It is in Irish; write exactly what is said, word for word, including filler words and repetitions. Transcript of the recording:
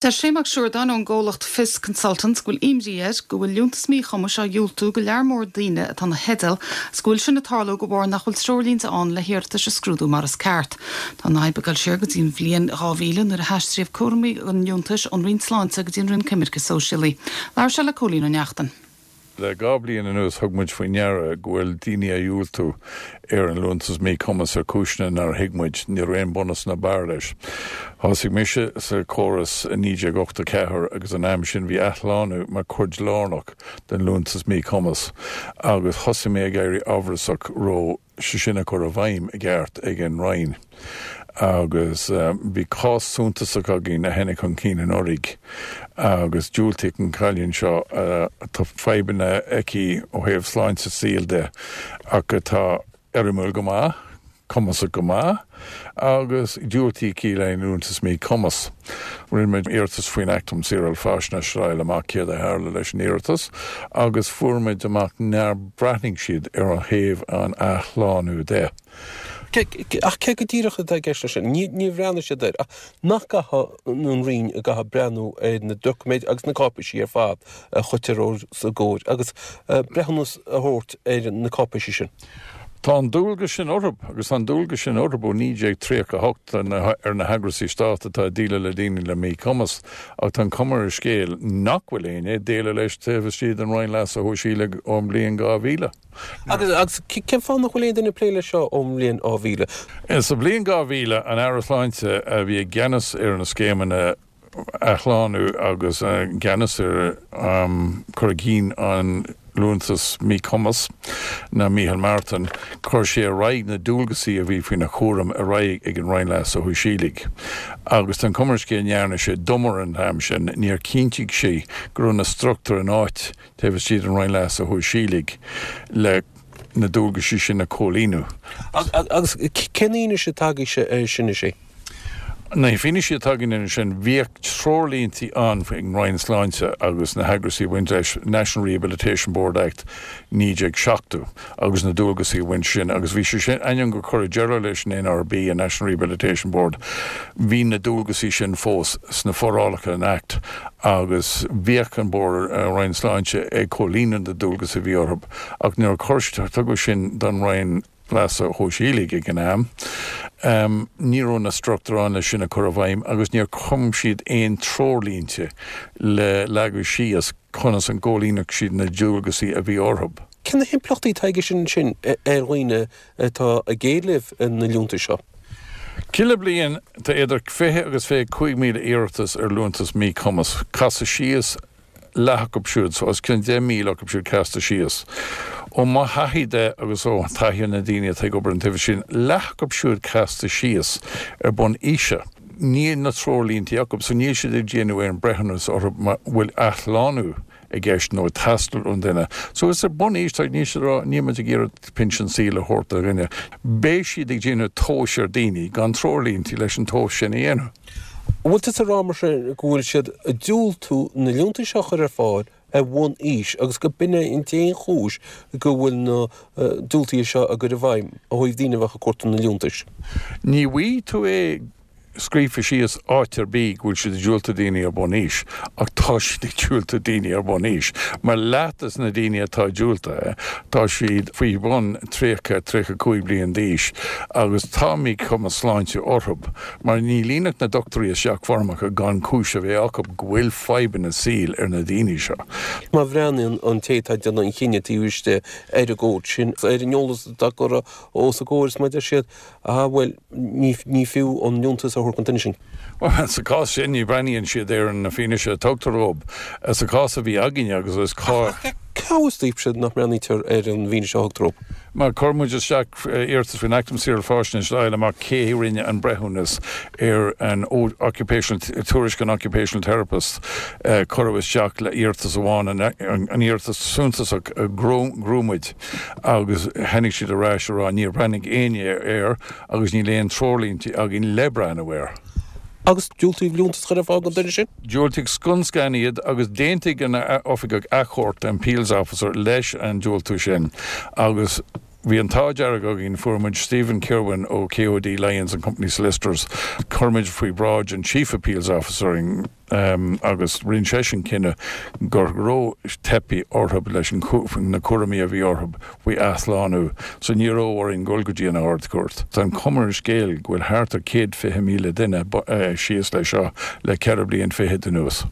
Deir Shane Mac Siúrdáin ón gcomhlacht Fios Consultants go bhfuil imní air go bhfuil liúntas míchumais á dhiúltú go lear mór daoine atá ina theideal agus go bhfuil sin ag tarlú de bharr nach bhfuil treoirlínte ann le hiarratais a scrúdú mar is ceart. Tá an fhadhb ag dul siar go dtí an bhliain dhá mhíle nuair a haistríodh cúraimí an liúntais ón Roinn Sláinte go dtí an Roinn Coimirce Sóisialaí. Labhair sé le Cóilín Ó Neachtain. Le dhá bliain anuas thug muid faoi ndeara go bhfuil daoine á dhiúltú ar an liúntas míchumas ar chúiseanna nár thuig muid ní raibh aon bunús ná barr leis. Thosaigh mise sa chóras i naoi déag ochtó ceathair agus an am sin bhí athshlánú mar chuid lárnach den liúntas míchumas agus thosaigh mé ag éirí amhrasach raibh sé sin á chur i bhfeidhm i gceart ag an Roinn. agus bhí cás suntasach againn a tháinig chun cinn anuraidh agus diúltaíodh an cailín seo tá fadhbanna aici ó thaobh sláinte saoil de ach atá éirimiúil go maith, cumasach go maith agus diúltaíodh í le liúntas míchumas. Rinne muid iarratas faoin Acht um Saoráil Faisnéise a fháil amach céard a tharla leis an iarratas agus fuair muid amach nár bhreathnaigh siad ar an thaobh an athshlánú de. Ach cé go díreach atá i gceist leis sin? Ní bhreathnaigh siad air ach nach gcaithfidh an Roinn a gcaithfidh breathnú ar na doiciméid agus na cáipéisí ar fad a chuirtear os a gcomhair agus breithiúnas a thabhairt ar na cáipéisí sin. Tá an dualgas sin orthu agus an dualgas sin orthu ó naoi déag tríocha a hocht ar na heagraisí stáit atá ag déileáil le daoine le míchumas ach tá an chuma ar an scéal nach bhfuil éinne ag déileáil leis taobh istigh den Roinn Leasa Shóisialaigh ón mbliain dhá mhíle. Agus agus cén fáth nach bhfuil aon duine ag plé leis seo ón mbliain dhá mhíle? Sa bhliain dhá mhíle, an Aire Sláinte a bhí i gceannas ar na scéimeanna athshlánú agus i gceannas ar cur i gcinn an liúntas míchumas ná Micheál Martin, chuir sé ar aghaidh na dualgasaí a bhí faoina chúram ar aghaidh ag an Roinn Leasa Shóisialaigh. Agus tá an chuma ar an scéal ndearna sé dumar an t-am sin, níor chinntigh sé go raibh na struchtúir in áit taobh istigh den Roinn Leasa Shóisialaigh le na dualgaisí sin a chomhlíonadh. Agus cén fhianaise atá agaibhse air sin a Shé? Na fianaise atá againn air sin, bhíodh treoirlíntí ann ag Roinn Sláinte agus na heagraisí a bhain leis, National Rehabilitation Board Act naoi déag seachtó agus na dualgaisí a bhain sin agus bhí sé sin, ainneoin gur cuireadh deireadh leis an NRB, an National Rehabilitation Board, bhí na dualgaisí sin fós sna forálacha an Act agus bhíodh an Bord, Roinn Sláinte ag comhlíonadh na dualgas a bhí orthu ach nuair a chuir, tugadh sin don Roinn Leasa Shóisialaigh ag an am. Ní raibh na struchtúir ann leis sin a chur i bhfeidhm agus níor chum siad aon treoirlínte le leagadh síos conas an gcomhlíonfadh siad na dualgaisí a bhí orthu. Cé na himpleachtaí atá aige sin ansin ar dhaoine atá ag éileamh na liúntais seo? Chuile bliain tá idir fiche agus fiche cúig míle iarratas ar liúntas míchumas. Casadh síos leath acu siúd, so os cionn deich míle acu siúd casta síos. Ó mo thaithí de agus ó thaithí na daoine atá ag obair an taobh sin, leath acu siúd casta síos ar bun aoise. Níl na treoirlíntí acu, so níl siad ag déanamh aon breithiúnas orthu má bhfuil athshlánú i gceist nó ag teastáil ón duine. So is ar bun aois, tá, níl siad ag rá, níl muid ag iarraidh pinsean saoil a thabhairt do dhuine. Beidh siad ag déanamh tomhais ar daoine gan treoirlíntí leis an tomhas sin a dhéanamh. An bhfuil tusa ag rá mar sin go bhfuil siad ag diúltú na liúntais seo a chur ar fáil ar bhonn aois agus go b'in é an t-aon chúis go bhfuil na diúltuithe seo á gcur i bhfeidhm ó thaobh daoine a bheadh ag cuartú na liúntais? Ní bhfaighidh tú é scríofa síos áit ar bith go bhfuil siad ag diúltú daoine ar bun aois, ach tá siad ag diúltú daoine ar bun aois, mar leath des na daoine atá diúltaithe, tá siad faoi bhun tríocha, tríocha cúig bliain d'aois agus tá míchumas sláinte orthu, mar ní líonfadh na dochtúirí isteach foirmeacha gan cúis a bheith acu go bhfuil fadhbanna saoil ar na daoine seo. Má bhreathnaíonn an té atá ag déanamh an chinnidh taobh istigh ar an gcomhad sin, ar an eolas atá curtha os a gcomhair is má deir siad, ah bhuel, ní, ní fiú an liúntas a thabhairt don duine sin. Bhuel, sa chás sin, ní bhreathnaíonn siad ar an fianaise a tugtar dóibh. Sa chás a bhí againne agus is cá. Cá bhfios daoibhse nach mbreathnaítear ar an bhfianaise a thugtar dóibh? Mar chuir muid isteach iarratas faoin Acht um Saoráil Faisnéise le fáil amach cé a rinne an breithiúnas ar an occupational, tuairisc an occupational therapist. Cuireadh isteach le iarratas amháin, an iarratas suntasach a ghnóthaigh muid agus tháinig siad ar ais a rá níor bhreathnaigh éinne air agus níl aon treoirlínte againn le breathnú air. Agus diúltaíodh liúntas a chur ar fáil don duine sin? Diúltaíodh scun scan iad agus d'aontaigh an Oifigeach Achomhairc, an Appeals Officer, leis an diúltú sin agus Bhí an t-ádh dearg againn fuair muid Stephen Kirwan ó KOD Lyons and Company Solicitors chuir muid faoi bhráid an Chief Appeals Officer in, um, agus rinne seisean cinneadh go raibh teipthe orthu leis an na cúraimí a bhí orthu faoi athshlánú, so ní raibh orainn dul go dtí an Ard-Chúirt. Tá an chuma ar an scéal go bhfuil thart ar céad fiche míle duine síos le seo le ceithre bliain fichead anuas.